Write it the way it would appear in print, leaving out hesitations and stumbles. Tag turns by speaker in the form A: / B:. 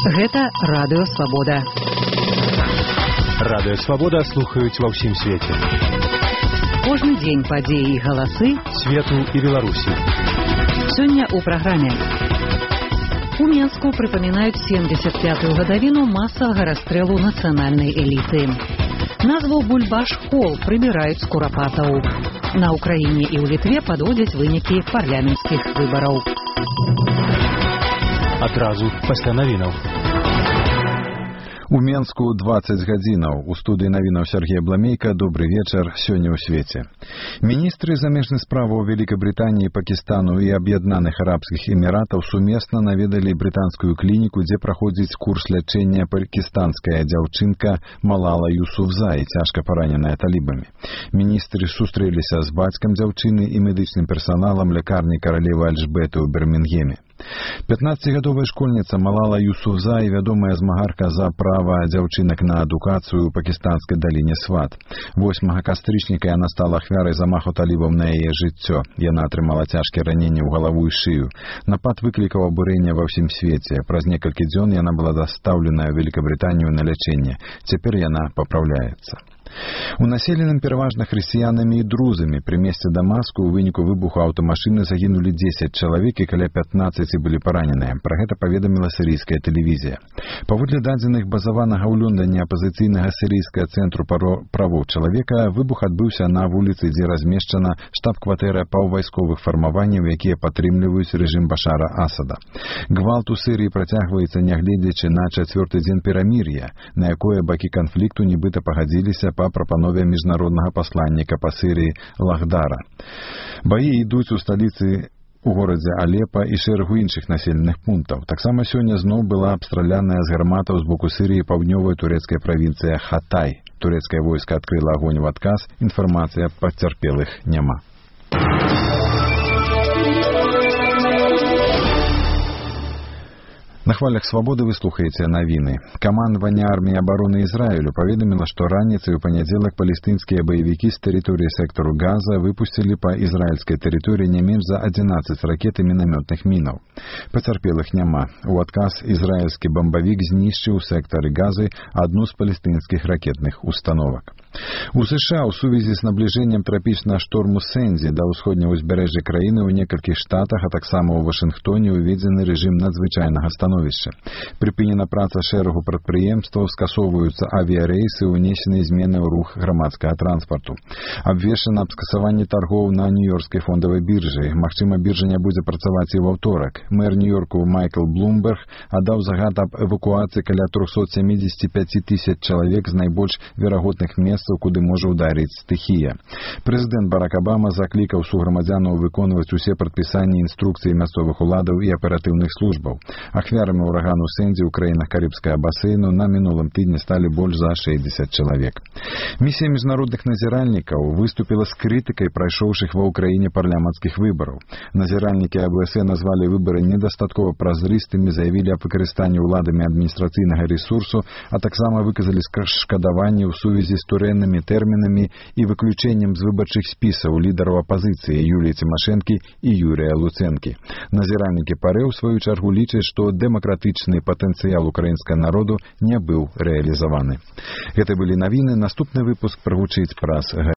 A: Гэта Радыё Свабода.
B: Радыё Свабода слухаюць ва ўсім свеце.
A: Кожны дзень падзеі і галасы
B: свету і Беларусі.
A: Сёння ў праграме. У Менску прыпамінаюць 75-ю гадавіну масавага расстрэлу нацыянальнай эліты. Назву Бульбаш-Холл прыбіраюць з курапатаў. На Ўкраіне і ў Літве падводзяць вынікі парламенцкіх выбараў.
B: Адразу пасля навінаў.
C: У Менску 20 гадзінаў. У студыі навінаў Сергей Бламейка. Добры вечар. Сёння ў свеце. Міністры замежных справаў Великабрытаніі, Пакістану і Аб'яднаных Арабскіх Эміратаў сумесна наведалі брытанскую клініку, дзе праходзіць курс лячэння пакістанская дзяўчынка Малала Юсуфзай, цяжка параненая талібамі. Міністры сустрэліся з бацькам дзяўчыны і медычным персаналам лякарні каралевы Альжбеты ў Бірмінгеме. 15-гадовая школьніца Малала Юсуфзай, вядомая змагарка за права дзяўчынак на адукацыю ў пакістанскай даліне Сват. 8 кастрычніка яна стала ахвярай замаху талібаў на яе жыццё. Яна атрымала цяжкія раненні ў галаву і шыю. Напад выклікаў абурэнне ва ўсім свеце. Праз некалькі дзён яна была дастаўленая ў Великабрытанію на лячэнне. Цяпер яна папраўляецца. У населеным пераважна хрысціянамі і друзамі пры месцы Дамаску ў выніку выбуху аўтамашыны загінулі 10 чалавек і каля 15 былі параненыя. Пра гэта паведаміла сірыйская тэлевізія. Паводле дадзеных базаванага ў Лондоне апазіцыйнага сірыйскага цэнтру правоў чалавека, выбух адбыўся на вуліцы, дзе размешчана штаб-кватэра паўвайсковых фармаванняў, якія падтрымліваюць рэжым Башара Асада. Гвалт у Сірыі працягваецца, нягледзячы на 4-й дзень перамір'я, на якое бакі канфлікту нібыта пагадзіліся па прапанове міжнароднага пасланніка па Сірыі Лахдара. Баі ідуць у сталіцы у горадзе Алепа і шэрагу іншых населеных пунктаў. Таксама сёння зноў была абстраляная з гарматаў з боку Сірыі паўднёвая турэцкая правінцыя Хатай. Турэцкае войска адкрыла агонь у адказ. Інфармацыя пацярпелых няма. На хвалях Свабоды вы слухаеце навіны. Камандаванне арміі абароны Ізраілю паведаміла, што раніцай у панядзелак палестынскія баевікі з тэрыторыі сектару Газа выпусцілі па ізраільскай тэрыторыі не менш за 11 ракет і мінамётных мінаў. Пацярпелых няма. У адказ ізраільскі бамбавік знішчыў у сектары Газы адну з палестынскіх ракетных установак. У США ў сувязі з набліжэннем трапічнага шторму Сэнзі да ўсходняга ўзбярэжжа краіны ў некалькіх штатах, а таксама ў Вашынгтоне уведзены рэжым надзвычайнага становішча. Прыпынена праца шэрагу прадпрыемстваў, скасоўваюцца авіярэйсы, унесены змены ў рух грамадскага транспарту. Абвешчана аб скасаванні таргоў на Нью-Йоркскай фондавай біржы. Магчыма, біржа не будзе працаваць і ў аўторак. Мэр Нью-Йорку Майкл Блумберг аддаў загад аб эвакуацыі каля 375 тысяч чалавек з найбольш верагодных месцаў, куды можа ударыць стыхія. Прэзідэнт Барак Абама заклікаў суграмадзянаў выконваць усе прадпісанні інструкцыі мясцовых уладаў і аператыўных службаў. Ахвярамі урагану Сэнзі ў краінах Карыбскага басейну на мінулым тыдні сталі больш за 60 чалавек. Місія міжнародных назіральнікаў выступіла з крытыкай прайшоўшых ва ўкраіне парламенцкіх выбараў. Назіральнікі АБС назвалі выбары недастаткова празрыстымі, заявілі аб выкарыстанні ўладамі адміністрацыйнага рэсурсу, а таксама выказалі шкадаванне ў сувязі з турэннымі тэрмінамі і выключэннем з выбарчых спісаў лідараў апазіцыі Юліі Цімашэнкі і Юрія Луцэнкі. Назіральнікі ПАРЭ ў сваю чаргу лічаць, што дэмакратычны патэнцыял украінскага народу не быў рэалізаваны. Гэта былі навіны. Наступны выпуск прагучыць праз